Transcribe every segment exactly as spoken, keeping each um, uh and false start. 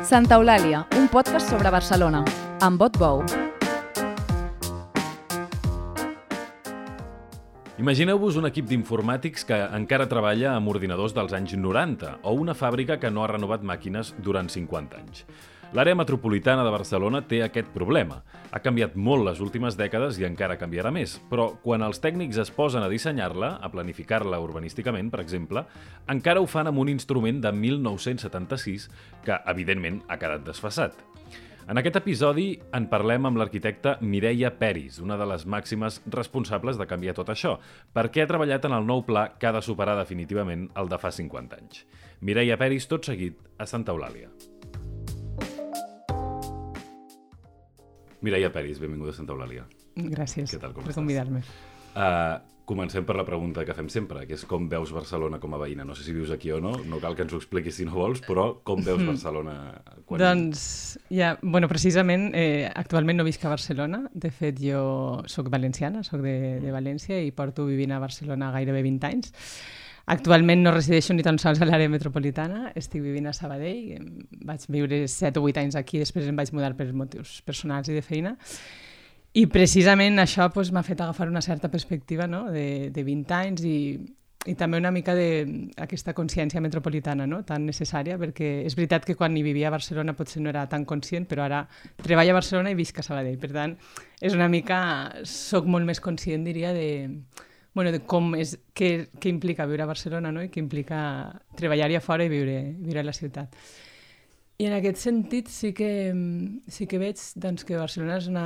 Santa Eulàlia, un podcast sobre Barcelona, amb Bot Bou. Imagineu-vos un equip d'informàtics que encara treballa amb ordinadors dels anys noranta o una fàbrica que no ha renovat màquines durant cinquanta anys. L'àrea metropolitana de Barcelona té aquest problema. Ha canviat molt les últimes dècades i encara canviarà més, però quan els tècnics es posen a dissenyar-la, a planificar-la urbanísticament, per exemple, encara ho fan amb un instrument de mil nou-cents setanta-sis que, evidentment, ha quedat desfasat. En aquest episodi en parlem amb l'arquitecta Mireia Peris, una de les màximes responsables de canviar tot això, perquè ha treballat en el nou pla que ha de superar definitivament el de fa cinquanta anys. Mireia Peris, tot seguit, a Santa Eulàlia. Mireia Peris, benvinguda a Santa Eulàlia. Gràcies Què tal, com per estàs? convidar-me. Uh, comencem per la pregunta que fem sempre, que és com veus Barcelona com a veïna. No sé si vius aquí o no, no cal que ens ho expliquis si no vols, però com veus Barcelona? Quan... Doncs, ja, bueno, precisament, eh, actualment no visc a Barcelona. De fet, jo sóc valenciana, sóc de, de València i porto vivint a Barcelona gairebé vint anys. Actualment no resideixo ni tan sols a l'àrea metropolitana, estic vivint a Sabadell, vaig viure set o vuit anys aquí, després em vaig mudar per motius personals i de feina, i precisament això pues, m'ha fet agafar una certa perspectiva, no? de, de vint anys i, i també una mica d'aquesta consciència metropolitana, no? Tan necessària, perquè és veritat que quan hi vivia a Barcelona potser no era tan conscient, però ara treballo a Barcelona i visc a Sabadell, per tant, és una mica, soc molt més conscient, diria, de... Bueno, de com és, què, què implica viure a Barcelona, no? I què implica treballar-hi a fora i viure, viure a la ciutat. I en aquest sentit sí que, sí que veig doncs, que Barcelona és una,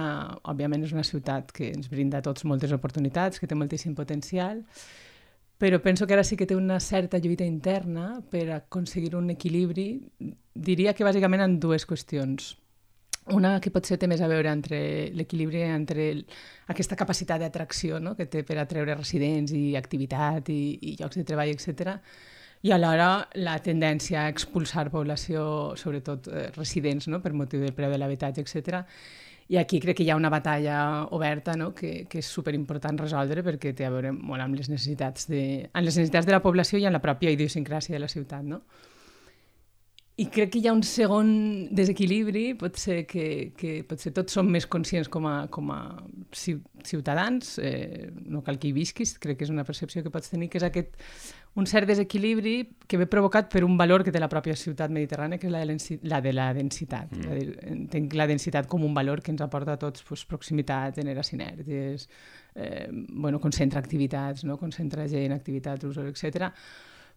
òbviament és una ciutat que ens brinda a tots moltes oportunitats, que té moltíssim potencial, però penso que ara sí que té una certa lluita interna per aconseguir un equilibri, diria que bàsicament en dues qüestions. Una que potser té més a veure entre l'equilibri entre aquesta capacitat d'atracció, no? que té per atreure residents i activitat i, i llocs de treball, etcètera, i alhora la tendència a expulsar població, sobretot eh, residents, no? per motiu del preu de l'habitatge, etcètera. I aquí crec que hi ha una batalla oberta, no? que, que és superimportant resoldre perquè té a veure molt amb les necessitats de, amb les necessitats de la població i amb la pròpia idiosincràsia de la ciutat, no? I crec que hi ha un segon desequilibri, potser que, que potser tots som més conscients com a, com a ciutadans, eh, no cal que hi visquis, crec que és una percepció que pots tenir, que és aquest, un cert desequilibri que ve provocat per un valor que té la pròpia ciutat mediterrània, que és la de, la, de la densitat. Mm. És a dir, entenc la densitat com un valor que ens aporta a tots, doncs, proximitat, genera sinergies, eh, bueno, concentra activitats, no? Concentra gent, activitats, usos, etcètera,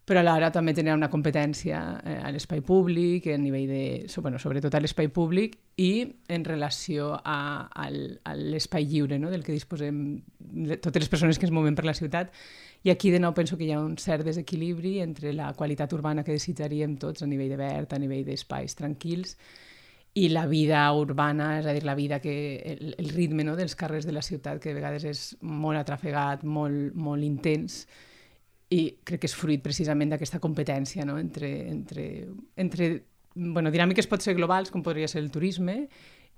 però alhora també tenia una competència eh, a l'espai públic, a nivell de, bueno, sobretot a l'espai públic i en relació a, a, a l'espai lliure, no? Del que disposem totes les persones que ens movem per la ciutat. I aquí de nou penso que hi ha un cert desequilibri entre la qualitat urbana que desitjaríem tots a nivell de verd, a nivell d'espais tranquils, i la vida urbana, és a dir, la vida que el, el ritme, no? dels carrers de la ciutat, que de vegades és molt atrafegat, molt, molt intens, i crec que és fruit precisament d'aquesta competència, no? entre, entre, entre bueno, dinàmiques pot ser globals, com podria ser el turisme,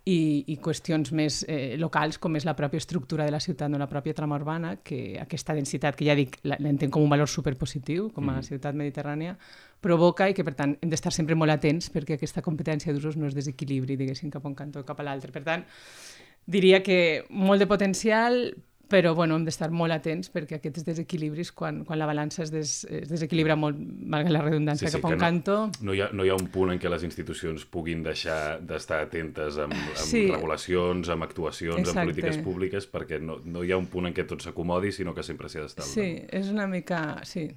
i, i qüestions més eh, locals, com és la pròpia estructura de la ciutat, no? La pròpia trama urbana, que aquesta densitat, que ja dic, l'entenc com un valor superpositiu, com a mm. ciutat mediterrània, provoca i que, per tant, hem d'estar sempre molt atents perquè aquesta competència d'usos no es desequilibri, diguéssim, cap a un cantó o cap a l'altre. Per tant, diria que molt de potencial, però bueno, hem d'estar molt atents perquè aquests desequilibris, quan, quan la balança es, des, es desequilibra molt, malgrat la redundància, sí, sí, cap a un no, cantó... No hi, ha, no hi ha un punt en què les institucions puguin deixar d'estar atentes amb, amb sí. regulacions, amb actuacions, Exacte. amb polítiques públiques, perquè no, no hi ha un punt en què tot s'acomodi, sinó que sempre s'hi ha d'estar. Sí, és una mica... Sí,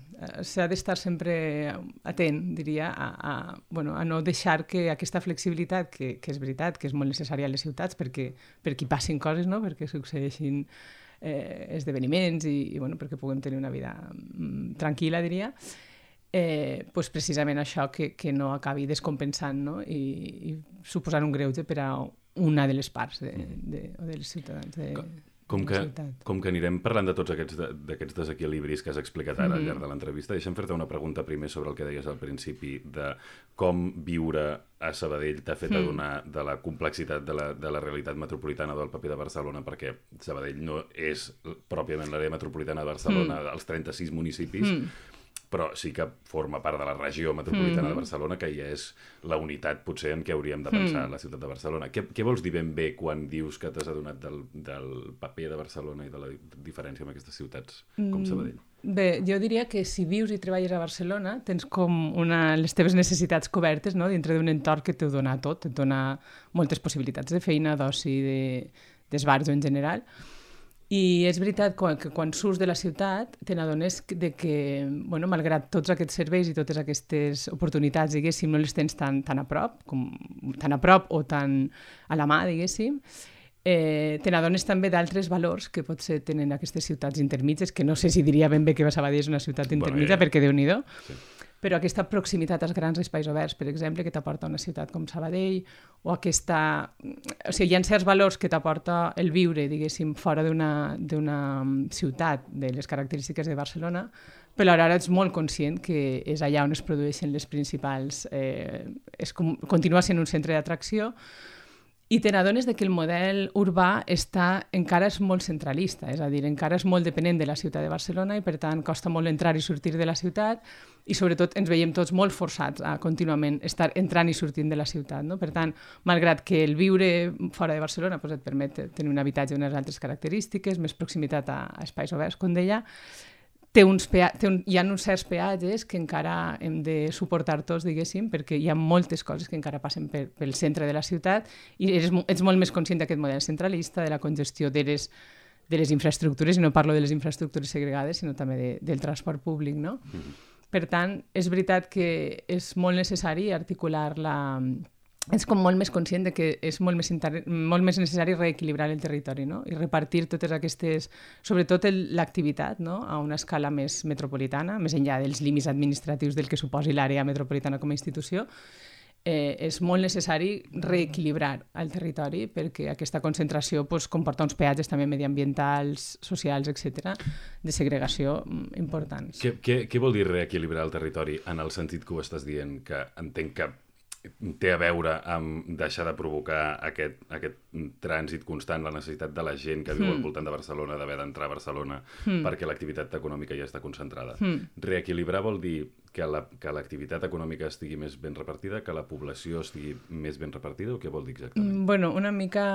s'ha d'estar sempre atent, diria, a, a, bueno, a no deixar que aquesta flexibilitat, que, que és veritat, que és molt necessària a les ciutats, perquè, perquè hi passin coses, no? Perquè succeeixin Eh, esdeveniments i, i bueno, perquè puguem tenir una vida mm, tranquil·la, diria, eh, pues precisament això que, que no acabi descompensant, no? I, i suposant un greuge per a una de les parts de, de, de, de les ciutadans de, com que, com que anirem parlant de tots aquests, de, d'aquests desequilibris que has explicat ara mm-hmm. al llarg de l'entrevista, deixa'm fer-te una pregunta primer sobre el que deies al principi de com viure a Sabadell t'ha fet adonar mm. de la complexitat de la, de la realitat metropolitana del paper de Barcelona, perquè Sabadell no és pròpiament l'àrea metropolitana de Barcelona, mm. els trenta-sis municipis, mm. però sí que forma part de la regió metropolitana Mm. de Barcelona, que ja és la unitat potser en què hauríem de pensar Mm. la ciutat de Barcelona. Què, què vols dir ben bé quan dius que t'has adonat del, del paper de Barcelona i de la diferència amb aquestes ciutats com Sabadell? Bé, jo diria que si vius i treballes a Barcelona tens com una, les teves necessitats cobertes, no?, dintre d'un entorn que t'ho dona tot, et dona moltes possibilitats de feina, d'oci, de, d'esbarjo en general. I és veritat que quan surts de la ciutat te n'adones de que, bueno, malgrat tots aquests serveis i totes aquestes oportunitats, diguéssim, no les tens tan, tan a prop, com, tan a prop o tan a la mà, diguéssim, eh, te n'adones també d'altres valors que potser tenen aquestes ciutats intermitges, que no sé si diria ben bé que Sabadell és una ciutat intermitja, Bueno, ja. perquè Déu-n'hi-do, Sí. però aquesta proximitat als grans espais oberts, per exemple, que t'aporta una ciutat com Sabadell, o aquesta... O sigui, hi ha certs valors que t'aporta el viure, diguéssim, fora d'una, d'una ciutat de les característiques de Barcelona, però ara ets molt conscient que és allà on es produeixen les principals... Eh, és com, continua sent un centre d'atracció, i te n'adones que el model urbà està, encara és molt centralista, és a dir, encara és molt dependent de la ciutat de Barcelona i per tant costa molt entrar i sortir de la ciutat i sobretot ens veiem tots molt forçats a contínuament estar entrant i sortint de la ciutat, no? Per tant, malgrat que el viure fora de Barcelona pues, et permet tenir un habitatge d'unes altres característiques, més proximitat a, a espais oberts, com deia, té uns pea... té un... hi ha uns certs peatges que encara hem de suportar tots, diguéssim, perquè hi ha moltes coses que encara passen per, pel centre de la ciutat i ets, ets molt més conscient d'aquest model centralista, de la congestió de les, de les infraestructures, i no parlo de les infraestructures segregades, sinó també de, del transport públic, no? Mm-hmm. Per tant, és veritat que és molt necessari articular la... és com molt més conscient de que és molt més, inter... molt més necessari reequilibrar el territori, no? I repartir totes aquestes, sobretot el, l'activitat, no? A una escala més metropolitana, més enllà dels límits administratius del que suposi l'àrea metropolitana com a institució, eh, és molt necessari reequilibrar el territori perquè aquesta concentració pues, comporta uns peatges també mediambientals, socials, etcètera, de segregació importants. Què, què, què vol dir reequilibrar el territori en el sentit que ho estàs dient, que entenc que té a veure amb deixar de provocar aquest, aquest trànsit constant, la necessitat de la gent que viu mm. al voltant de Barcelona d'haver d'entrar a Barcelona mm. perquè l'activitat econòmica ja està concentrada. Mm. Reequilibrar vol dir que, la, que l'activitat econòmica estigui més ben repartida, que la població estigui més ben repartida, o què vol dir exactament? Mm, bueno, una mica...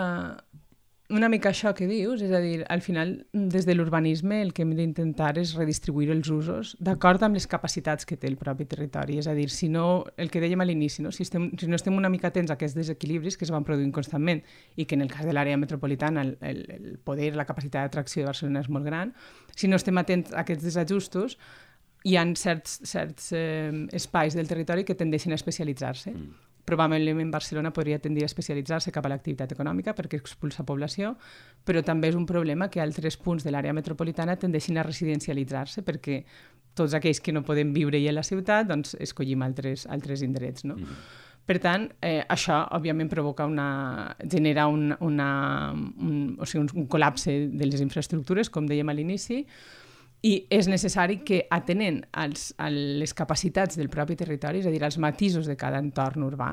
Una mica això que dius, és a dir, al final, des de l'urbanisme el que hem d'intentar és redistribuir els usos d'acord amb les capacitats que té el propi territori. És a dir, si no, el que dèiem a l'inici, no? Si, estem, si no estem una mica atents a aquests desequilibris que es van produint constantment i que en el cas de l'àrea metropolitana el, el, el poder, la capacitat d'atracció de Barcelona és molt gran, si no estem atents a aquests desajustos, hi ha certs, certs eh, espais del territori que tendeixen a especialitzar-se. Mm. Probablement Barcelona podria tendir a especialitzar-se cap a l'activitat econòmica perquè expulsa població, però també és un problema que altres punts de l'àrea metropolitana tendeixin a residencialitzar-se perquè tots aquells que no podem viure-hi a la ciutat doncs escollim altres, altres indrets, no? Mm-hmm. Per tant, eh, això òbviament provoca una... genera un, una, un, o sigui, un, un col·lapse de les infraestructures, com dèiem a l'inici, i és necessari que, atenent als, a les capacitats del propi territori, és a dir, als matisos de cada entorn urbà,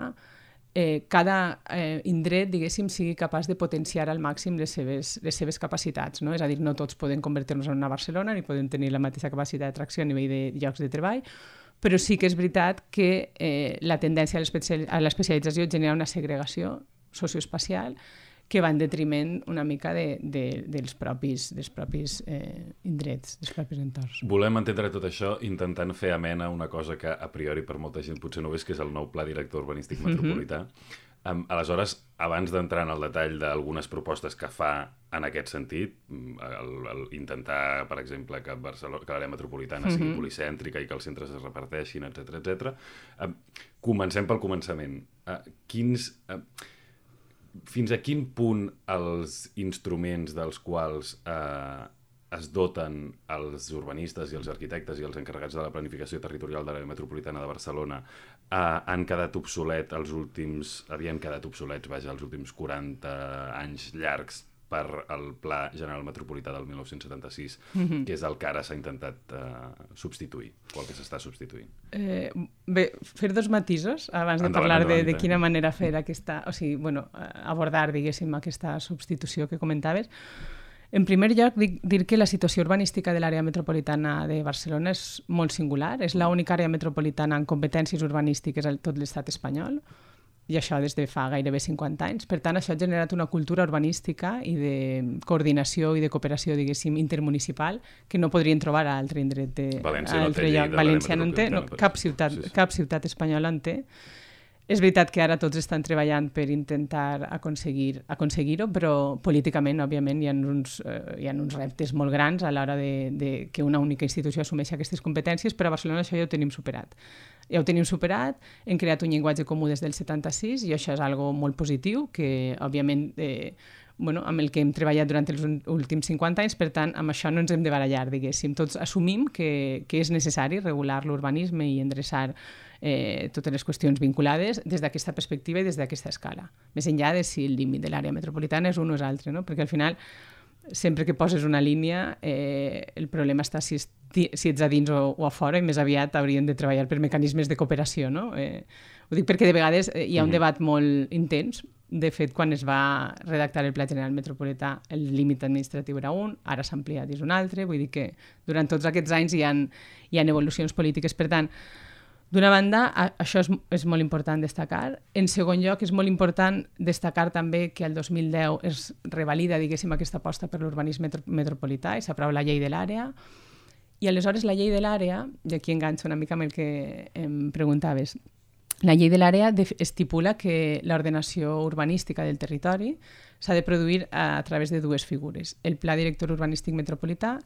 eh, cada eh, indret, diguéssim, sigui capaç de potenciar al màxim les seves, les seves capacitats, no? És a dir, no tots poden convertir-nos en una Barcelona ni poden tenir la mateixa capacitat d'atracció a nivell de llocs de treball, però sí que és veritat que eh, la tendència a l'especialització genera una segregació socioespacial que va en detriment una mica de, de, dels propis, dels propis eh, indrets, dels propis entorns. Volem entendre tot això intentant fer amena una cosa que a priori per molta gent potser no ves, que és el nou Pla Director Urbanístic Metropolità. Mm-hmm. Um, aleshores, abans d'entrar en el detall d'algunes propostes que fa en aquest sentit, el, el intentar, per exemple, que, Barcelona, que l'àrea metropolitana mm-hmm. sigui policèntrica i que els centres es reparteixin, etcètera, etcètera. Um, comencem pel començament. Uh, quins... Uh, Fins a quin punt els instruments dels quals eh, es doten els urbanistes i els arquitectes i els encarregats de la planificació territorial de l'àrea metropolitana de Barcelona eh, han quedat obsolet els últims, havien quedat obsolets, vaja, els últims quaranta anys llargs per al Pla General Metropolità del dinou setanta-sis, mm-hmm. que és el que ara s'ha intentat eh, substituir, o el que s'està substituint. Eh, bé, fer dos matisos abans de endavant, parlar endavant, de, de quina manera fer aquesta, o sigui, bueno, abordar, diguéssim, aquesta substitució que comentaves. En primer lloc, dic, dir que la situació urbanística de l'àrea metropolitana de Barcelona és molt singular. És l'única àrea metropolitana en competències urbanístiques a tot l'estat espanyol, i això des de fa gairebé cinquanta anys. Per tant, això ha generat una cultura urbanística i de coordinació i de cooperació, diguéssim, intermunicipal, que no podrien trobar a altre indret de... València no té lloc. València no en té, no, cap, ciutat, sí, sí. cap ciutat espanyola en té. És veritat que ara tots estan treballant per intentar aconseguir, aconseguir-ho, però políticament, òbviament, hi ha uns, eh, hi ha uns reptes molt grans a l'hora de, de que una única institució assumeixi aquestes competències, però a Barcelona això ja ho tenim superat. Ja ho tenim superat, hem creat un llenguatge comú des del setanta-sis i això és algo molt positiu, que, òbviament, eh, bueno, amb el que hem treballat durant els últims cinquanta anys, per tant, amb això no ens hem de barallar, diguéssim. Tots assumim que, que és necessari regular l'urbanisme i endreçar eh, totes les qüestions vinculades des d'aquesta perspectiva i des d'aquesta escala. Més enllà de si el límit de l'àrea metropolitana és un o és altre, no? Perquè al final, sempre que poses una línia, eh, el problema està si, es, si ets a dins o, o a fora, i més aviat haurien de treballar per mecanismes de cooperació, no? Eh, ho dic perquè de vegades eh, hi ha un debat molt intens. De fet, quan es va redactar el Pla General Metropolità, el límit administratiu era un, ara s'ha ampliat i és un altre, vull dir que durant tots aquests anys hi ha, hi ha evolucions polítiques. Per tant, d'una banda, això és, és molt important destacar. En segon lloc, és molt important destacar també que el dos mil deu es revalida, diguéssim, aquesta aposta per l'urbanisme metro metropolità i s'aprova la llei de l'àrea. I aleshores la llei de l'àrea, i aquí enganxo una mica amb el que em preguntaves, la llei de l'àrea estipula que l'ordenació urbanística del territori s'ha de produir a través de dues figures, el Pla Director Urbanístic Metropolità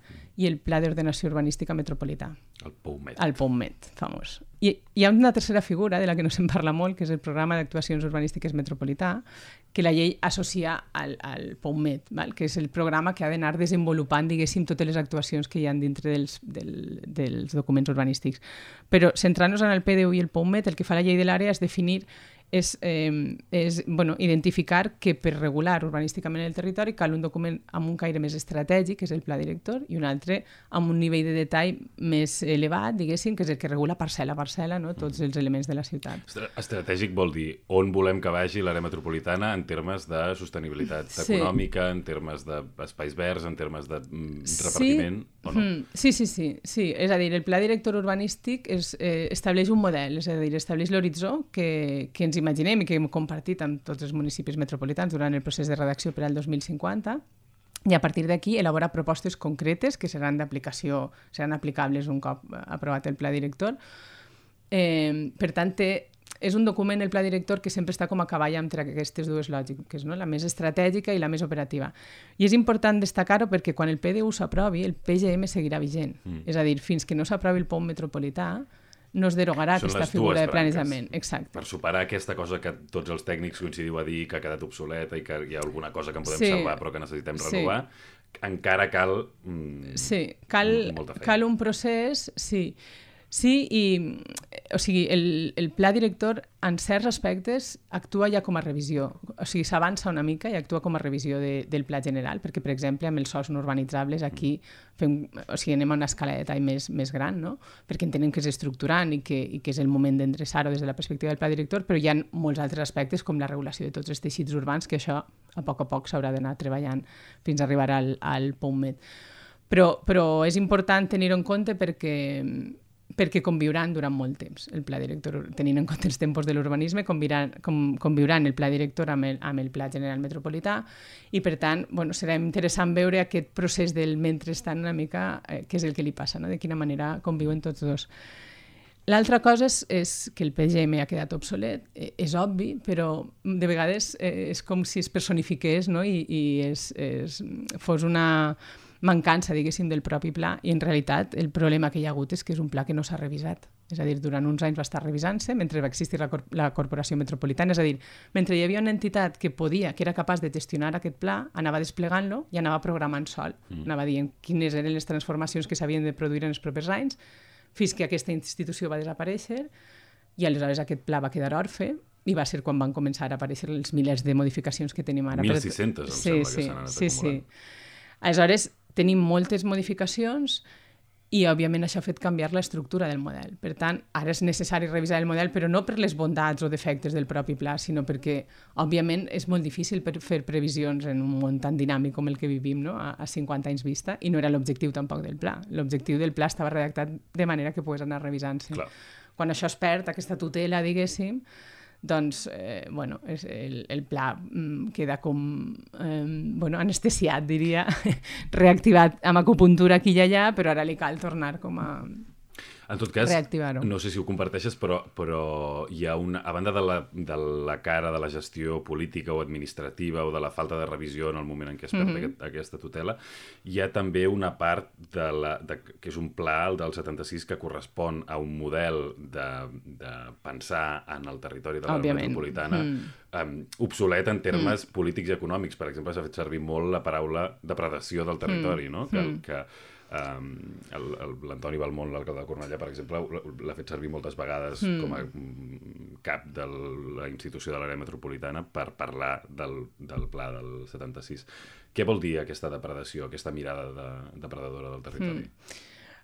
i el Pla d'Ordenació Urbanística Metropolità. El POUMET. El POUMET, famós. I hi ha una tercera figura de la que no se'n parla molt, que és el Programa d'Actuacions Urbanístiques Metropolità, que la llei associa al, al POUMET, val? Que és el programa que ha d'anar desenvolupant, diguéssim, totes les actuacions que hi ha dintre dels, del, dels documents urbanístics. Però centrant-nos en el P D U i el POUMET, el que fa la llei de l'àrea és definir és, eh, és bueno, identificar que per regular urbanísticament el territori cal un document amb un caire més estratègic, que és el pla director, i un altre amb un nivell de detall més elevat, diguéssim, que és el que regula parcel·la a parcel·la, no? Tots els elements de la ciutat. Estratègic vol dir on volem que vagi l'àrea metropolitana en termes de sostenibilitat sí. econòmica, en termes d'espais verds, en termes de repartiment, sí. o no? Sí, sí, sí, sí. És a dir, el pla director urbanístic és, eh, estableix un model, és a dir, estableix l'horitzó que, que ens imaginem i que hem compartit amb tots els municipis metropolitans durant el procés de redacció per al dos mil cinquanta, i a partir d'aquí elabora propostes concretes que seran d'aplicació, seran aplicables un cop aprovat el pla director. Eh, per tant, té, és un document, el pla director, que sempre està com a cavall entre aquestes dues lògiques, no? La més estratègica i la més operativa. I és important destacar-ho perquè quan el P D U s'aprovi, el P G M seguirà vigent. Mm. És a dir, fins que no s'aprovi el POUM metropolità, no es derogarà Són aquesta figura de planejament. Exacte. Per superar aquesta cosa que tots els tècnics coincidiu a dir que ha quedat obsoleta i que hi ha alguna cosa que en podem sí. salvar però que necessitem renovar, sí. encara cal, mm, sí. cal molta feina. Cal un procés, sí. Sí, i o sigui, el, el pla director en certs aspectes actua ja com a revisió. O sigui, s'avança una mica i actua com a revisió de, del pla general, perquè, per exemple, amb els sòls no urbanitzables aquí fem, o sigui, anem a una escala de detall més, més gran, no? Perquè entenem que és estructurant i que, i que és el moment d'endreçar-ho des de la perspectiva del pla director, però hi ha molts altres aspectes com la regulació de tots els teixits urbans, que això a poc a poc s'haurà d'anar treballant fins a arribar al, al POUMET. Però, però és important tenir-ho en compte perquè perquè conviuran durant molt temps el pla director, tenint en compte els tempos de l'urbanisme, conviuran, com, conviuran el pla director amb el, amb el pla general metropolità i, per tant, bueno, serà interessant veure aquest procés del mentrestant una mica, eh, què és el que li passa, no? De quina manera conviuen tots dos. L'altra cosa és, és que el P G M ha quedat obsolet, eh, és obvi, però de vegades eh, és com si es personifiqués, no? I, i és, és, fos una mancança, diguéssim, del propi pla, i en realitat el problema que hi ha hagut és que és un pla que no s'ha revisat. És a dir, durant uns anys va estar revisant-se mentre va existir la, cor la Corporació Metropolitana, és a dir, mentre hi havia una entitat que podia, que era capaç de gestionar aquest pla, anava desplegant-lo i anava programant sol, mm. anava dient quines eren les transformacions que s'havien de produir en els propers anys, fins que aquesta institució va desaparèixer i aleshores aquest pla va quedar orfe i va ser quan van començar a aparèixer els milers de modificacions que tenim ara. mil sis-centes, em sí, sembla sí, que s'han anat sí, acumulant. Sí. Aleshores, tenim moltes modificacions i, òbviament, això ha fet canviar l'estructura del model. Per tant, ara és necessari revisar el model, però no per les bondats o defectes del propi pla, sinó perquè, òbviament, és molt difícil per fer previsions en un món tan dinàmic com el que vivim, no? a, a cinquanta anys vista, i no era l'objectiu tampoc del pla. L'objectiu del pla estava redactat de manera que pogués anar revisant-se. Clar. Quan això es perd, aquesta tutela, diguéssim, doncs, eh, bueno, és el, el pla mm, queda com eh, bueno, anestesiat, diria, reactivat amb acupuntura aquí i allà, però ara li cal tornar com a en tot cas, reactivar-ho. No sé si ho comparteixes, però, però hi ha una, a banda de la, de la cara de la gestió política o administrativa o de la falta de revisió en el moment en què es perd mm-hmm. aquest, aquesta tutela, hi ha també una part de la, de, que és un pla, el del setanta-sis, que correspon a un model de, de pensar en el territori de l'àrea metropolitana mm. um, obsolet en termes mm. polítics i econòmics. Per exemple, s'ha fet servir molt la paraula depredació del territori, mm. no? que, mm. que Um, l'Antoni Balmont, l'alcalde de Cornellà, per exemple, l'ha fet servir moltes vegades mm. com a cap de la institució de l'àrea metropolitana per parlar del, del pla del setanta-sis. Què vol dir aquesta depredació, aquesta mirada de, depredadora del territori? Mm.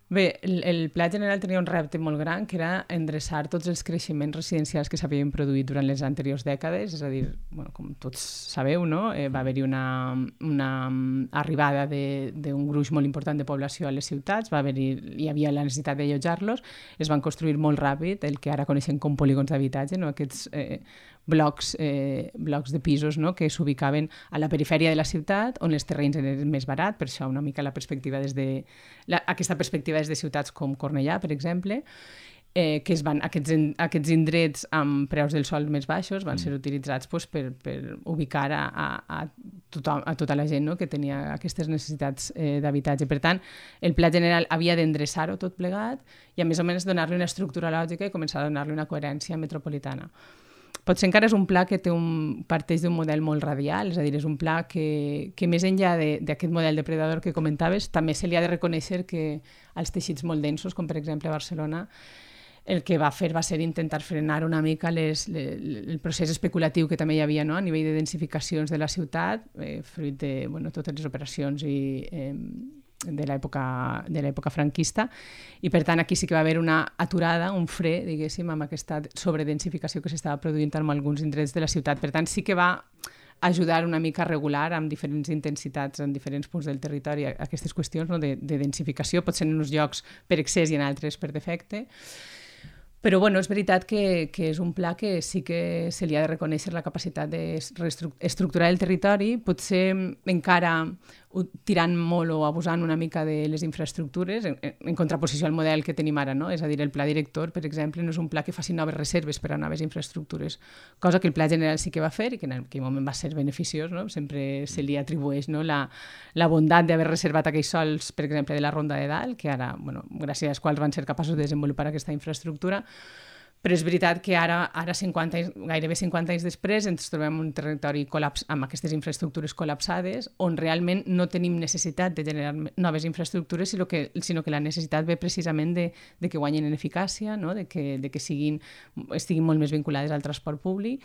Bé, el, el Pla General tenia un repte molt gran, que era endreçar tots els creixements residencials que s'havien produït durant les anteriors dècades, és a dir, bueno, com tots sabeu, no? eh, va haver-hi una, una arribada d'un gruix molt important de població a les ciutats, va haver-hi, hi havia la necessitat d'allotjar-los, es van construir molt ràpid el que ara coneixem com polígons d'habitatge, no? Aquests eh, blocs, eh, blocs de pisos, no? que s'ubicaven a la perifèria de la ciutat, on els terrenys eren més barats, per això una mica la perspectiva des de... La, aquesta perspectiva des de ciutats com Cornellà, per exemple, eh, que es van, aquests, aquests indrets amb preus del sòl més baixos van ser utilitzats pues, per, per ubicar a, a, a, tothom, a tota la gent, no? que tenia aquestes necessitats eh, d'habitatge. Per tant, el Pla General havia d'endreçar-ho tot plegat i a més o menys donar-li una estructura lògica i començar a donar-li una coherència metropolitana. Potser encara és un pla que té un, parteix d'un model molt radial, és a dir, és un pla que, que més enllà d'aquest model depredador que comentaves, també se li ha de reconèixer que als teixits molt densos, com per exemple a Barcelona, el que va fer va ser intentar frenar una mica les, les, el procés especulatiu que també hi havia, no? A nivell de densificacions de la ciutat, eh, fruit de bueno, totes les operacions i... Eh, de l'època de l'època franquista, i per tant aquí sí que va haver una aturada, un fre, diguéssim, amb aquesta sobredensificació que s'estava produint en alguns indrets de la ciutat. Per tant, sí que va ajudar una mica a regular amb diferents intensitats en diferents punts del territori aquestes qüestions, no? de, de densificació, potser en uns llocs per excés i en altres per defecte. Però bueno, és veritat que, que és un pla que sí que se li ha de reconèixer la capacitat d'estructurar el territori, potser encara tirant molt o abusant una mica de les infraestructures, en, en contraposició al model que tenim ara, no? És a dir, el pla director, per exemple, no és un pla que faci noves reserves per a noves infraestructures, cosa que el Pla General sí que va fer i que en aquell moment va ser beneficiós, no? Sempre se li atribueix, no? la, la bondat d'haver reservat aquells sols, per exemple, de la Ronda de Dalt, que ara, bueno, gràcies als quals van ser capaços de desenvolupar aquesta infraestructura. Però és veritat que ara, ara cinquanta anys, gairebé cinquanta anys després, ens trobem un territori col·laps, amb aquestes infraestructures col·lapsades, on realment no tenim necessitat de generar noves infraestructures, sinó que, sinó que la necessitat ve precisament de, de que guanyin en eficàcia, no? de que, de que siguin, estiguin molt més vinculades al transport públic,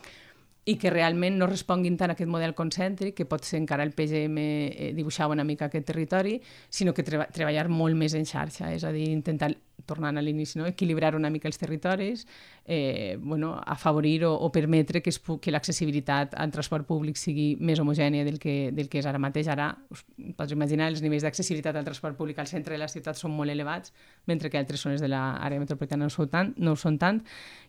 i que realment no responguin tant a aquest model concèntric, que pot ser encara el P G M eh, dibuixava una mica aquest territori, sinó que treba, treballar molt més en xarxa, és a dir, intentar, tornant a l'inici, no? equilibrar una mica els territoris, eh, bueno, afavorir o, o permetre que, es, que l'accessibilitat al transport públic sigui més homogènia del que, del que és ara mateix. Ara, us pots imaginar, els nivells d'accessibilitat al transport públic al centre de la ciutat són molt elevats, mentre que altres zones de l'àrea metropolitana no ho són tant, no ho són tant,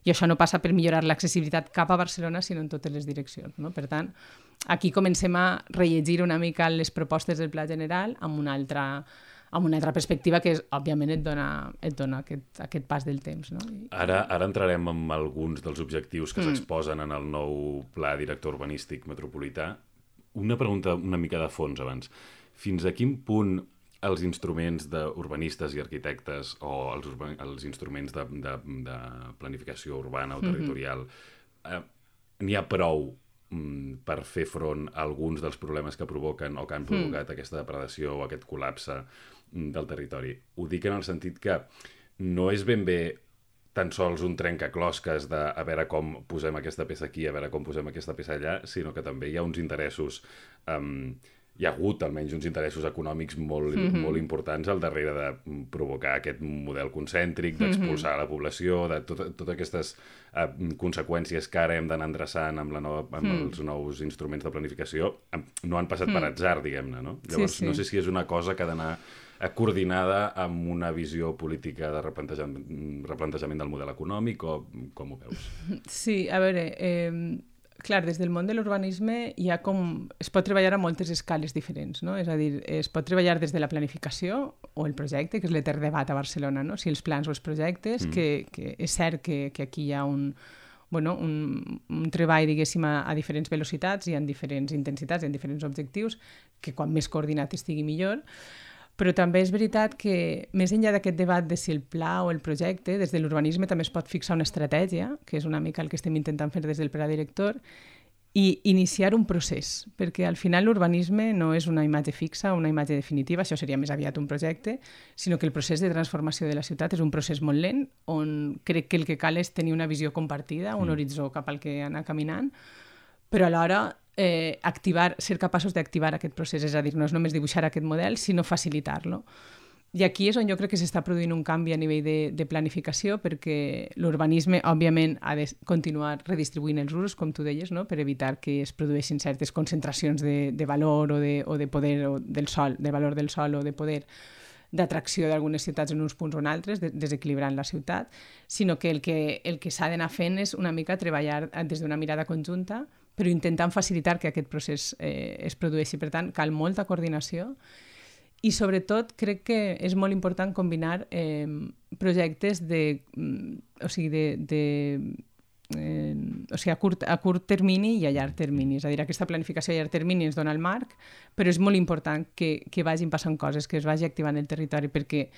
i això no passa per millorar l'accessibilitat cap a Barcelona, sinó en totes les direccions. No? Per tant, aquí comencem a rellegir una mica les propostes del Pla General amb una altra amb una altra perspectiva que, és, òbviament, et dona, et dona aquest, aquest pas del temps. No? I... Ara, ara entrarem en alguns dels objectius que mm. s'exposen en el nou Pla Director Urbanístic Metropolità. Una pregunta una mica de fons abans. Fins a quin punt els instruments d'urbanistes i arquitectes o els, urban... els instruments de, de, de planificació urbana o territorial mm-hmm. eh, n'hi ha prou mm, per fer front a alguns dels problemes que provoquen o que han provocat mm. aquesta depredació o aquest col·lapse del territori? Ho dic en el sentit que no és ben bé tan sols un trencaclosques de a veure com posem aquesta peça aquí, a veure com posem aquesta peça allà, sinó que també hi ha uns interessos um, hi ha hagut almenys uns interessos econòmics molt, mm-hmm. molt importants al darrere de provocar aquest model concèntric, d'expulsar mm-hmm. la població, de totes tot aquestes uh, conseqüències que ara hem d'anar endreçant amb, la nova, amb mm. els nous instruments de planificació, no han passat mm. per atzar, diguem-ne, no? Llavors, sí, sí. no sé si és una cosa que ha d'anar coordinada amb una visió política de replantejament, replantejament del model econòmic, o com ho veus? Sí, a veure... Eh... Clar, des del món de l'urbanisme hi ha com... es pot treballar a moltes escales diferents, no? És a dir, es pot treballar des de la planificació o el projecte, que és l'etern debat a Barcelona, no? Si els plans o els projectes, mm. que, que és cert que, que aquí hi ha un, bueno, un, un treball, diguéssim, a, a diferents velocitats i en diferents intensitats i en diferents objectius, que quan més coordinat estigui millor. Però també és veritat que, més enllà d'aquest debat de si el pla o el projecte, des de l'urbanisme també es pot fixar una estratègia, que és una mica el que estem intentant fer des del pla director, i iniciar un procés, perquè al final l'urbanisme no és una imatge fixa, una imatge definitiva, això seria més aviat un projecte, sinó que el procés de transformació de la ciutat és un procés molt lent, on crec que el que cal és tenir una visió compartida, un horitzó cap al que anar caminant, però alhora eh, activar, ser capaços d'activar aquest procés, és a dir, no és només dibuixar aquest model, sinó facilitar-lo. I aquí és on jo crec que s'està produint un canvi a nivell de, de planificació, perquè l'urbanisme, òbviament, ha de continuar redistribuint els usos, com tu deies, no? Per evitar que es produeixin certes concentracions de, de valor o de, o de poder o del sol, de valor del sol o de poder d'atracció d'algunes ciutats en uns punts o en altres, de, desequilibrant la ciutat, sinó que el que, el que s'ha d'anar fent és una mica treballar des d'una mirada conjunta, però intentant facilitar que aquest procés eh, es produeixi. Per tant, cal molta coordinació i, sobretot, crec que és molt important combinar eh, projectes de, o sigui, de, de, eh, o sigui, a, curt, a curt termini i a llarg termini. És a dir, aquesta planificació a llarg termini ens dona el marc, però és molt important que, que vagin passant coses, que es vagi activant el territori, perquè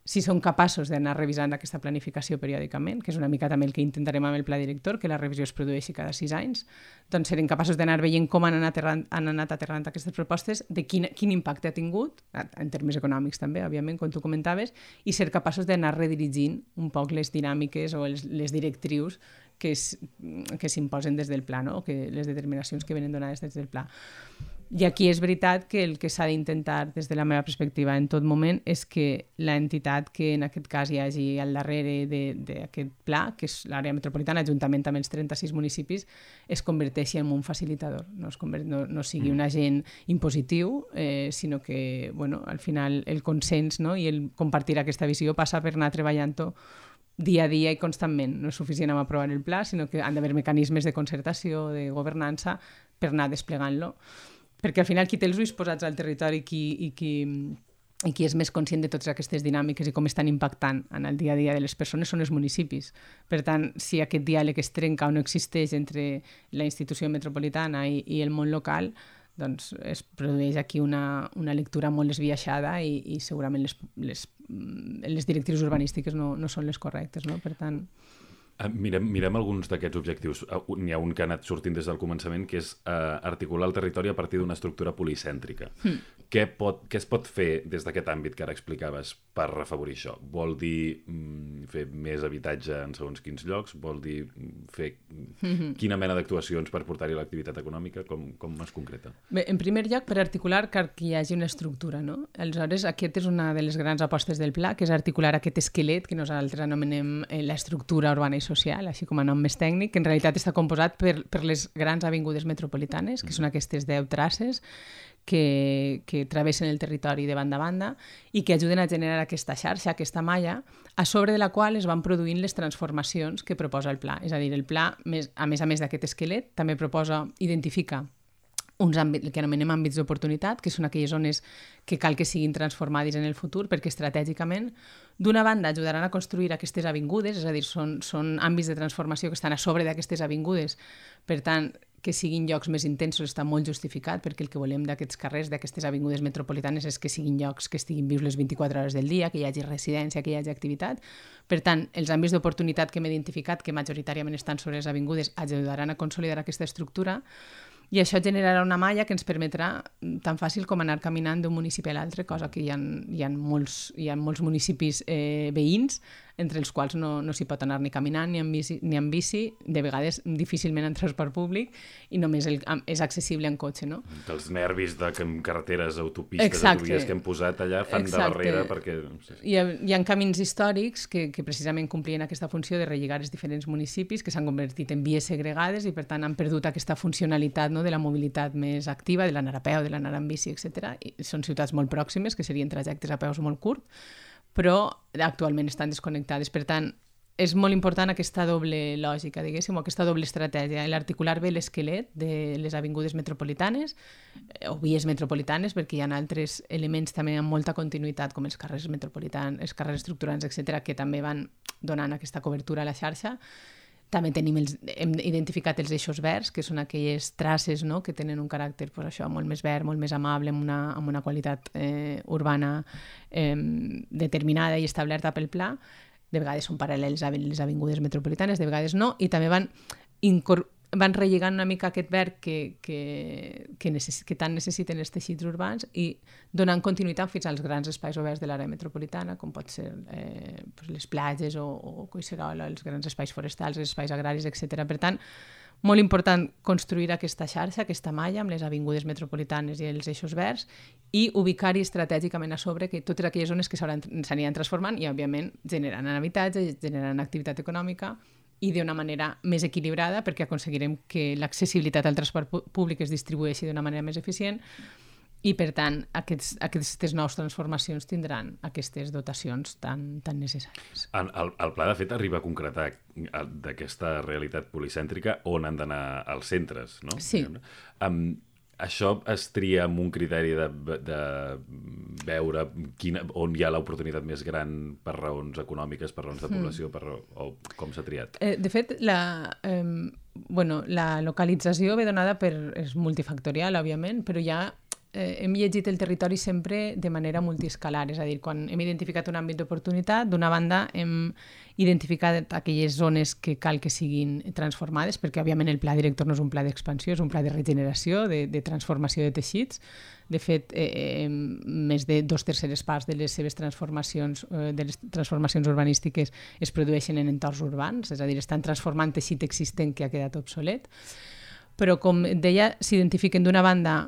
si som capaços d'anar revisant aquesta planificació periòdicament, que és una mica també el que intentarem amb el pla director, que la revisió es produeixi cada sis anys, doncs serem capaços d'anar veient com han anat aterrant, han anat aterrant aquestes propostes, de quin, quin impacte ha tingut, en termes econòmics també, òbviament, com tu comentaves, i ser capaços d'anar redirigint un poc les dinàmiques o els, les directrius que, es, que s'imposen des del pla, no? O que les determinacions que venen donades des del pla. I aquí és veritat que el que s'ha d'intentar, des de la meva perspectiva, en tot moment, és que l'entitat que en aquest cas hi hagi al darrere d'aquest pla, que és l'àrea metropolitana, juntament amb els trenta-sis municipis, es converteixi en un facilitador, no, es convert, no, no sigui un agent impositiu, eh, sinó que, bueno, al final el consens, no? I el compartir aquesta visió passa per anar treballant-ho dia a dia i constantment. No és suficient amb aprovar el pla, sinó que han d'haver mecanismes de concertació, de governança, per anar desplegant-lo. Perquè al final qui té els ulls posats al territori qui, i, qui, i qui és més conscient de totes aquestes dinàmiques i com estan impactant en el dia a dia de les persones són els municipis. Per tant, si aquest diàleg es trenca o no existeix entre la institució metropolitana i, i el món local, doncs es produeix aquí una, una lectura molt esbiaixada i, i segurament les, les, les directrius urbanístiques no, no són les correctes, no? Per tant... Mirem, mirem alguns d'aquests objectius. N'hi ha un que ha anat sortint des del començament, que és uh, articular el territori a partir d'una estructura policèntrica. Mm. Què, pot, què es pot fer des d'aquest àmbit que ara explicaves per afavorir això? Vol dir mm, fer més habitatge en segons quins llocs? Vol dir fer mm-hmm. quina mena d'actuacions per portar-hi l'activitat econòmica? Com, com es concreta? Bé, en primer lloc, per articular cal que hi hagi una estructura, no? Aleshores, aquesta és una de les grans apostes del pla, que és articular aquest esquelet que nosaltres anomenem eh, l'estructura urbana i social, així com a nom més tècnic, que en realitat està composat per, per les grans avingudes metropolitanes, que són aquestes deu traces que, que travessen el territori de banda a banda i que ajuden a generar aquesta xarxa, aquesta malla, a sobre de la qual es van produint les transformacions que proposa el pla. És a dir, el pla, més, a més a més d'aquest esquelet, també proposa, identifica uns àmbits, el que anomenem àmbits d'oportunitat, que són aquelles zones que cal que siguin transformades en el futur, perquè estratègicament, d'una banda, ajudaran a construir aquestes avingudes, és a dir, són, són àmbits de transformació que estan a sobre d'aquestes avingudes, per tant, que siguin llocs més intensos està molt justificat, perquè el que volem d'aquests carrers, d'aquestes avingudes metropolitanes, és que siguin llocs que estiguin vius les vint-i-quatre hores del dia, que hi hagi residència, que hi hagi activitat. Per tant, els àmbits d'oportunitat que hem identificat, que majoritàriament estan sobre les avingudes, ajudaran a consolidar aquesta estructura, i això generarà una malla que ens permetrà tan fàcil com anar caminant d'un municipi a l'altre, cosa que hi ha, hi ha, molts, hi ha molts municipis eh, veïns entre els quals no, no s'hi pot anar ni caminant ni en, bici, ni en bici, de vegades difícilment en transport públic, i només el, és accessible en cotxe, no? Els nervis de carreteres, autopistes, Exacte. autovies que hem posat allà fan Exacte. de barrera perquè... Sí, sí. Hi, ha, hi ha camins històrics que, que precisament complien aquesta funció de relligar els diferents municipis, que s'han convertit en vies segregades i per tant han perdut aquesta funcionalitat, no?, de la mobilitat més activa, de l'anar a peu, de l'anar en bici, etcètera. I són ciutats molt pròximes, que serien trajectes a peus molt curts, però actualment estan desconnectades. Per tant, és molt important aquesta doble lògica, diguéssim, o aquesta doble estratègia, l'articular bé l'esquelet de les avingudes metropolitanes o vies metropolitanes, perquè hi ha altres elements també amb molta continuïtat, com els carrers metropolitans, els carrers estructurants, etcètera, que també van donant aquesta cobertura a la xarxa. També tenim els, hem identificat els eixos verds, que són aquelles traces, no?, que tenen un caràcter pues, això, molt més verd, molt més amable, amb una, amb una qualitat eh, urbana eh, determinada i establerta pel pla. De vegades són paral·lels a les avingudes metropolitanes, de vegades no, i també van, incor- van relligant una mica aquest verd que, que, que, necess- que tant necessiten els teixits urbans i donant continuïtat fins als grans espais oberts de l'àrea metropolitana, com pot ser eh, pues les platges o, o Collserola, els grans espais forestals, els espais agraris, etcètera. Per tant, molt important construir aquesta xarxa, aquesta malla amb les avingudes metropolitanes i els eixos verds i ubicar-hi estratègicament a sobre que totes aquelles zones que s'aniran transformant i, òbviament, generant habitatge, generant activitat econòmica i d'una manera més equilibrada perquè aconseguirem que l'accessibilitat al transport públic es distribueixi d'una manera més eficient i, per tant, aquests, aquestes noves transformacions tindran aquestes dotacions tan, tan necessàries. El, el, el pla, de fet, arriba a concretar d'aquesta realitat policèntrica on han d'anar els centres, no? Sí. Um, això es tria amb un criteri de, de veure quina, on hi ha l'oportunitat més gran per raons econòmiques, per raons de població, per, o com s'ha triat? Eh, de fet, la, eh, bueno, la localització ve donada per... és multifactorial, òbviament, però ja eh, hem llegit el territori sempre de manera multiescalar, és a dir, quan hem identificat un àmbit d'oportunitat, d'una banda hem identificat aquelles zones que cal que siguin transformades, perquè òbviament el pla director no és un pla d'expansió, és un pla de regeneració, de, de transformació de teixits. De fet, eh, més de dos terceres parts de les seves transformacions, eh, de les transformacions urbanístiques es produeixen en entorns urbans, és a dir, estan transformant teixit existent que ha quedat obsolet. Però, com deia, s'identifiquen d'una banda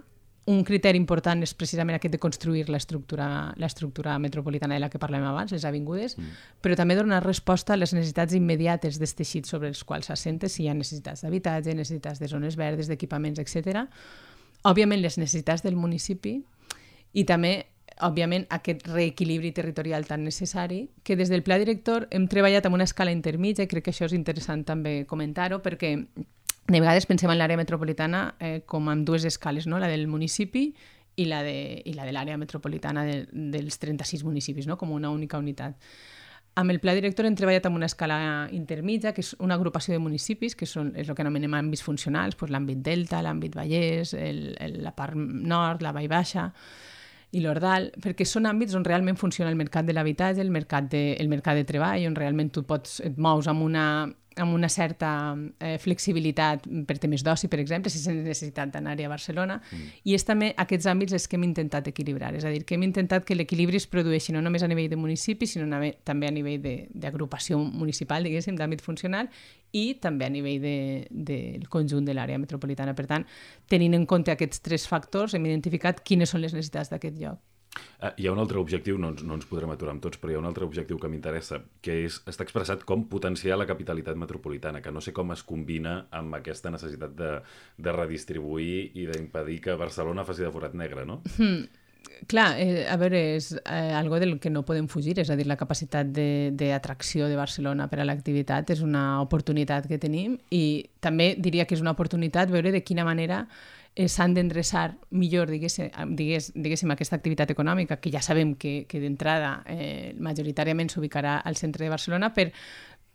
un criteri important és precisament aquest de construir l'estructura, l'estructura metropolitana de la que parlem abans, les avingudes, mm. però també donar resposta a les necessitats immediates dels teixits sobre els quals s'assenta, si hi ha necessitats d'habitatge, necessitats de zones verdes, d'equipaments, etcètera. Òbviament, les necessitats del municipi i també, òbviament, aquest reequilibri territorial tan necessari que des del pla director hem treballat amb una escala intermitja i crec que això és interessant també comentar-ho perquè de vegades pensem en l'àrea metropolitana eh, com en dues escales, no? La del municipi i la de, i la de l'àrea metropolitana de, dels trenta-sis municipis, no? Com una única unitat. Amb el pla director hem treballat amb una escala intermitja, que és una agrupació de municipis, que són, és el que anomenem àmbits funcionals, doncs l'àmbit Delta, l'àmbit Vallès, el, el, la part nord, la Vall Baixa i l'Ordal, perquè són àmbits on realment funciona el mercat de l'habitatge, el mercat de, el mercat de treball, on realment tu pots, et mous amb una... amb una certa eh, flexibilitat per temes d'oci, per exemple, sense necessitat d'anar-hi a Barcelona, mm. i és també aquests àmbits els que hem intentat equilibrar, és a dir, que hem intentat que l'equilibri es produeixi no només a nivell de municipi, sinó a, també a nivell d'agrupació municipal, diguéssim, d'àmbit funcional, i també a nivell del de, de conjunt de l'àrea metropolitana. Per tant, tenint en compte aquests tres factors, hem identificat quines són les necessitats d'aquest lloc. Uh, hi ha un altre objectiu, no ens, no ens podrem aturar amb tots, però hi ha un altre objectiu que m'interessa, que és, està expressat com potenciar la capitalitat metropolitana, que no sé com es combina amb aquesta necessitat de, de redistribuir i d'impedir que Barcelona faci de forat negre, no? Hmm. Clar, eh, a veure, és eh, algo del que no podem fugir, és a dir, la capacitat d'atracció de, de Barcelona per a l'activitat és una oportunitat que tenim i també diria que és una oportunitat veure de quina manera eh, s'han d'endreçar millor, diguéssim, digués, diguéssim, aquesta activitat econòmica, que ja sabem que, que d'entrada eh, majoritàriament s'ubicarà al centre de Barcelona, per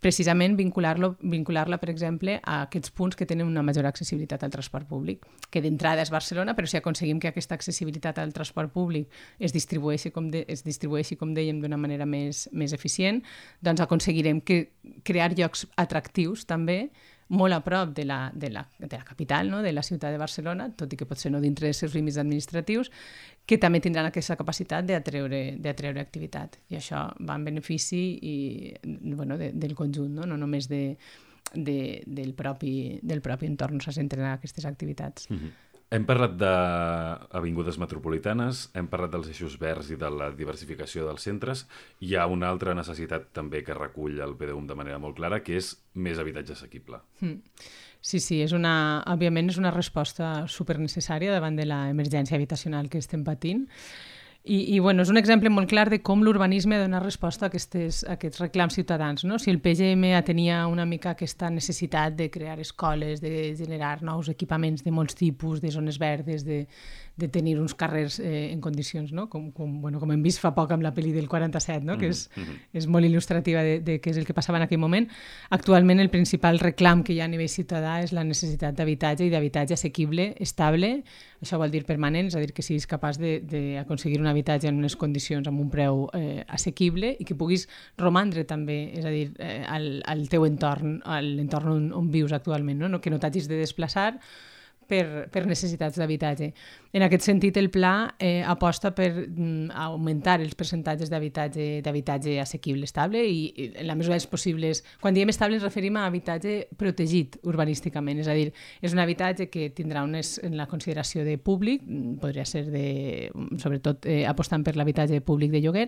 precisament vincular-lo, vincular-la, per exemple, a aquests punts que tenen una major accessibilitat al transport públic, que d'entrada és Barcelona, però si aconseguim que aquesta accessibilitat al transport públic es distribueixi, com, de, es distribueixi, com dèiem, d'una manera més, més eficient, doncs aconseguirem que crear llocs atractius també molt a prop de la, de la, de la capital, no? De la ciutat de Barcelona, tot i que potser no dintre dels seus límits administratius, que també tindran aquesta capacitat d'atreure d'atreure activitat. I això va en benefici i, bueno, de, del conjunt, no, no només de, de, del, propi, del propi entorn on se centren aquestes activitats. Mm-hmm. Hem parlat d'avingudes metropolitanes, hem parlat dels eixos verds i de la diversificació dels centres. Hi ha una altra necessitat també que recull el P D U M de manera molt clara, que és més habitatge assequible. Mm. Sí, sí, és una, òbviament és una resposta supernecessària davant de l'emergència habitacional que estem patint. I, i bueno, és un exemple molt clar de com l'urbanisme dona resposta a, aquestes, a aquests reclams ciutadans. No? Si el P G M tenia una mica aquesta necessitat de crear escoles, de generar nous equipaments de molts tipus, de zones verdes, de, de tenir uns carrers eh, en condicions, no? com, com, bueno, com hem vist fa poc amb la pel·li del quaranta-set, no? que és, mm-hmm. és molt il·lustrativa de, de què és el que passava en aquell moment. Actualment el principal reclam que hi ha a nivell ciutadà és la necessitat d'habitatge i d'habitatge assequible, estable, això vol dir permanent, és a dir, que siguis capaç d'aconseguir un habitatge en unes condicions amb un preu eh, assequible i que puguis romandre també, és a dir, eh, al, al teu entorn, a l'entorn on, on vius actualment, no? No, que no t'hagis de desplaçar per, per necessitats d'habitatge. En aquest sentit, el pla eh, aposta per mm, augmentar els percentatges d'habitatge d'habitatge assequible, estable, i, i en la mesura dels possibles. Quan diem estable ens referim a habitatge protegit urbanísticament, és a dir, és un habitatge que tindrà unes, en la consideració de públic, podria ser de, sobretot eh, apostant per l'habitatge públic de lloguer,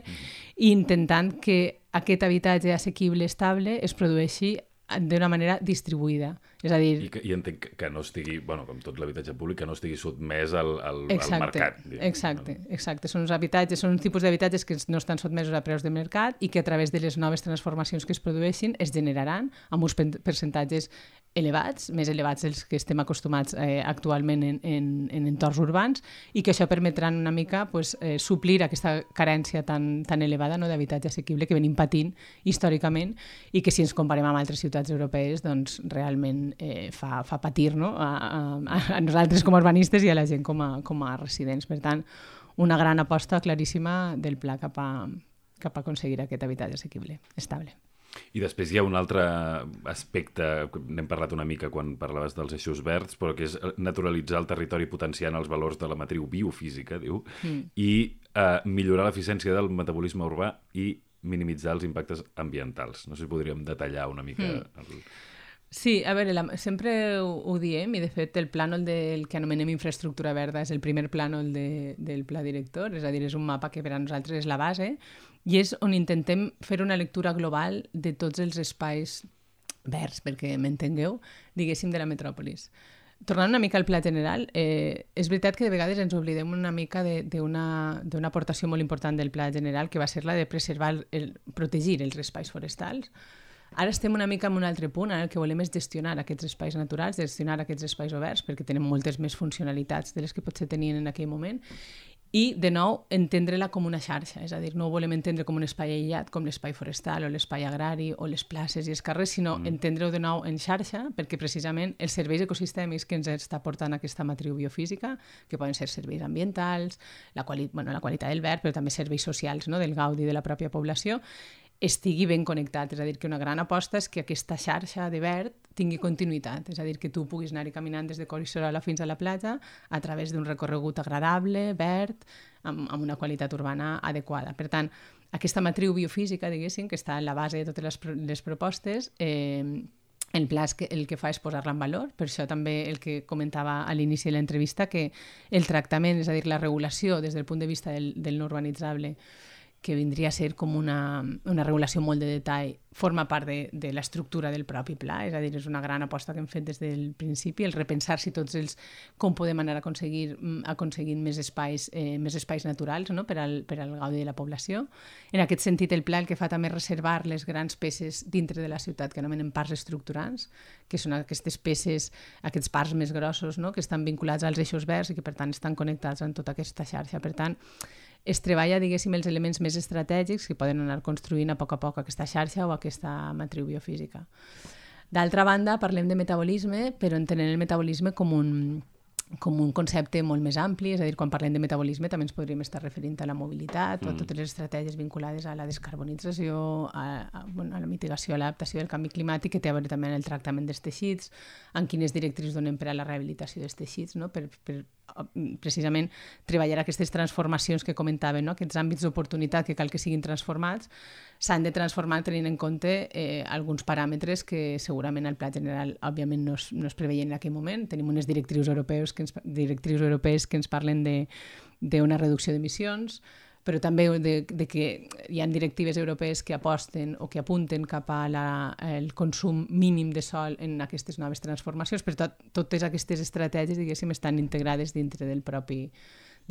i intentant que aquest habitatge assequible, estable, es produeixi d'una manera distribuïda. És a dir... I, que, i entenc que no estigui, bueno, com tot l'habitatge públic, que no estigui sotmès al, al, exacte, al mercat. Diguem. Exacte, exacte. Són uns habitatges, són un tipus d'habitatges que no estan sotmesos a preus de mercat i que a través de les noves transformacions que es produeixin es generaran amb uns percentatges elevats, més elevats dels que estem acostumats eh, actualment en, en, en entorns urbans, i que això permetrà una mica pues, eh, suplir aquesta carència tan, tan elevada, no, d'habitatge assequible que venim patint històricament i que si ens comparem amb altres ciutats europees doncs realment eh, fa, fa patir, no? a, a, a nosaltres com a urbanistes i a la gent com a, com a residents. Per tant, una gran aposta claríssima del pla cap a, cap a aconseguir aquest habitatge assequible, estable. I després hi ha un altre aspecte, n'hem parlat una mica quan parlaves dels eixos verds, però que és naturalitzar el territori potenciant els valors de la matriu biofísica, diu, mm. i eh, millorar l'eficiència del metabolisme urbà i minimitzar els impactes ambientals. No sé si podríem detallar una mica... Mm. El... Sí, a veure, la, sempre ho, ho diem, i de fet el plànol del que anomenem infraestructura verda és el primer plànol de, del pla director, és a dir, és un mapa que per a nosaltres és la base, i és on intentem fer una lectura global de tots els espais verds, perquè m'entengueu, diguéssim, de la metròpolis. Tornant una mica al pla general, eh, és veritat que de vegades ens oblidem una mica d'una aportació molt important del pla general, que va ser la de preservar, el, protegir els espais forestals. Ara estem una mica en un altre punt, ara el que volem és gestionar aquests espais naturals, gestionar aquests espais oberts, perquè tenen moltes més funcionalitats de les que potser tenien en aquell moment, i, de nou, entendre-la com una xarxa, és a dir, no ho volem entendre com un espai aïllat, com l'espai forestal o l'espai agrari o les places i els carrers, sinó mm. entendre-ho de nou en xarxa, perquè precisament els serveis ecosistèmics que ens està portant aquesta matriu biofísica, que poden ser serveis ambientals, la, quali bueno, la qualitat del verd, però també serveis socials, no?, del gaudi de la pròpia població, estigui ben connectat. És a dir, que una gran aposta és que aquesta xarxa de verd tingui continuïtat, és a dir, que tu puguis anar-hi caminant des de Collserola fins a la platja a través d'un recorregut agradable, verd, amb, amb una qualitat urbana adequada. Per tant, aquesta matriu biofísica, diguéssim, que està en la base de totes les, les propostes, eh, el pla que, el que fa és posar-la en valor, per això també el que comentava a l'inici de l'entrevista, que el tractament, és a dir, la regulació des del punt de vista del, del no urbanitzable, que vindria a ser com una, una regulació molt de detall, forma part de, de l'estructura del propi pla, és a dir, és una gran aposta que hem fet des del principi, el repensar si tots els, com podem anar a aconseguir aconseguint més espais, eh, més espais naturals, no?, per al, per al gaudi de la població. En aquest sentit, el pla el que fa també és reservar les grans peces dintre de la ciutat, que anomenem parcs estructurants, que són aquestes peces, aquests parcs més grossos, no?, que estan vinculats als eixos verds i que, per tant, estan connectats amb tota aquesta xarxa. Per tant, es treballa, diguéssim, els elements més estratègics que poden anar construint a poc a poc aquesta xarxa o aquesta matriu biofísica. D'altra banda, parlem de metabolisme, però entenent el metabolisme com un, com un concepte molt més ampli, és a dir, quan parlem de metabolisme també ens podríem estar referint a la mobilitat mm. o a totes les estratègies vinculades a la descarbonització, a, a, bueno, a la mitigació, a l'adaptació del canvi climàtic, que té a veure també en el tractament dels teixits, en quines directrius donem per a la rehabilitació dels teixits, no? per, per precisament treballar aquestes transformacions que comentaven, no? Aquests àmbits d'oportunitat que cal que siguin transformats, s'han de transformar tenint en compte eh, alguns paràmetres que segurament al pla general òbviament no es, no es preveien en aquell moment. Tenim unes directrius europeus que ens, directrius europees que ens parlen d'una reducció d'emissions, però també de, de que hi ha directives europees que aposten o que apunten cap al consum mínim de sòl en aquestes noves transformacions, però tot, totes aquestes estratègies, diguéssim, estan integrades dintre del propi,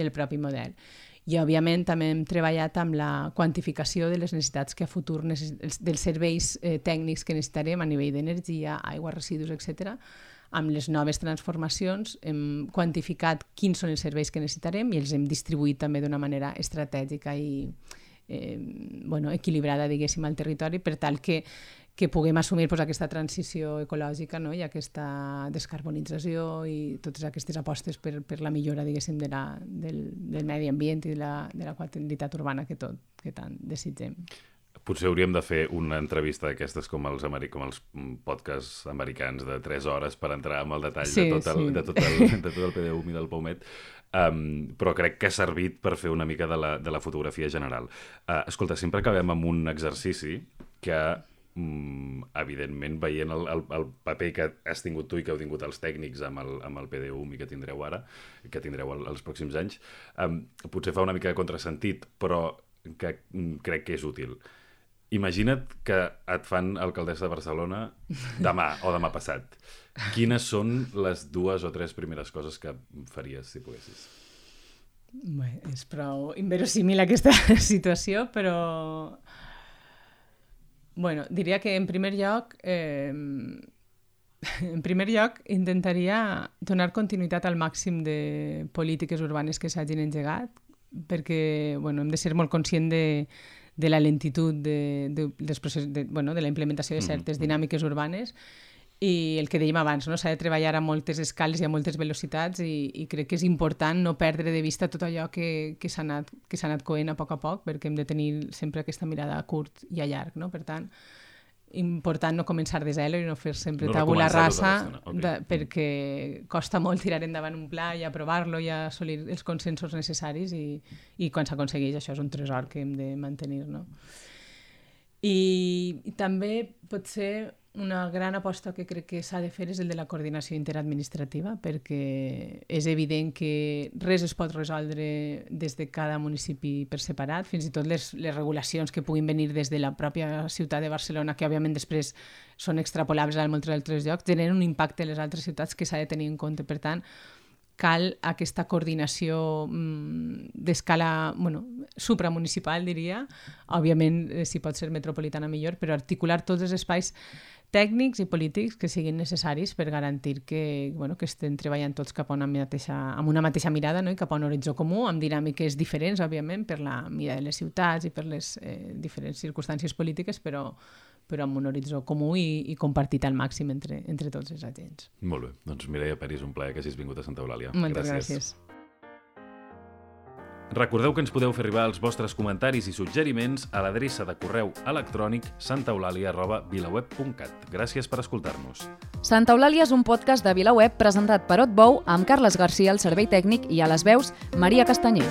del propi model. I, òbviament, també hem treballat amb la quantificació de les necessitats que a futur, necess... dels serveis eh, tècnics que necessitarem a nivell d'energia, aigua, residus, etcètera. Amb les noves transformacions hem quantificat quins són els serveis que necessitarem i els hem distribuït també d'una manera estratègica i eh, bueno, equilibrada, diguéssim, al territori, per tal que, que puguem assumir pues, aquesta transició ecològica, no? I aquesta descarbonització i totes aquestes apostes per, per la millora, diguéssim, de la, del, del medi ambient i de la, de la qualitat urbana que, tot, que tant desitgem. Potser hauríem de fer una entrevista d'aquestes com els, com els podcasts americans de tres hores per entrar en el detall sí, de, tot el, sí. de, tot el, de tot el P D U M i del Paumet, um, però crec que ha servit per fer una mica de la, de la fotografia general. Uh, escolta, sempre acabem amb un exercici que, um, evidentment, veient el, el, el paper que has tingut tu i que heu tingut els tècnics amb el, amb el P D U M i que tindreu ara, que tindreu el, els pròxims anys, um, potser fa una mica de contrasentit, però que um, crec que és útil. Imagina't que et fan alcaldessa de Barcelona demà o demà passat. Quines són les dues o tres primeres coses que faries si poguessis? Bé, és prou inverosímil aquesta situació, però bueno, diria que en primer lloc eh, en primer lloc intentaria donar continuïtat al màxim de polítiques urbanes que s'hagin engegat, perquè bueno, hem de ser molt conscients de de la lentitud de, de, dels processos, de, bueno, de la implementació de certes dinàmiques urbanes i el que dèiem abans, no? S'ha de treballar a moltes escales i a moltes velocitats i, i crec que és important no perdre de vista tot allò que, que s'ha anat, que s'ha anat coent a poc a poc, perquè hem de tenir sempre aquesta mirada a curt i a llarg, no? Per tant, important no començar de zero i no fer sempre no tabula rasa, okay. de, perquè costa molt tirar endavant un pla i aprovar-lo i assolir els consensos necessaris i, i quan s'aconsegueix això és un tresor que hem de mantenir, no? I, i també potser una gran aposta que crec que s'ha de fer és el de la coordinació interadministrativa, perquè és evident que res es pot resoldre des de cada municipi per separat, fins i tot les, les regulacions que puguin venir des de la pròpia ciutat de Barcelona, que òbviament després són extrapolables a molts altres llocs, generen un impacte a les altres ciutats que s'ha de tenir en compte. Per tant, cal aquesta coordinació mmm, d'escala bueno, supramunicipal, diria. Òbviament, eh, si pot ser metropolitana millor, però articular tots els espais tècnics i polítics que siguin necessaris per garantir que, bueno, que estem treballant tots cap a una mateixa, amb una mateixa mirada, no? I cap a un horitzó comú, amb dinàmiques diferents, òbviament, per la mida de les ciutats i per les eh, diferents circumstàncies polítiques, però, però amb un horitzó comú i, i compartit al màxim entre, entre tots els agents. Molt bé. Doncs Mireia Peris, un plaer que hagis vingut a Santa Eulàlia. Moltes gràcies. gràcies. Recordeu que ens podeu fer arribar els vostres comentaris i suggeriments a l'adreça de correu electrònic santaeulàlia arroba vilaweb punt cat. Gràcies per escoltar-nos. Santa Eulàlia és un podcast de VilaWeb presentat per Otbou amb Carles Garcia al servei tècnic i a les veus Maria Castanyer.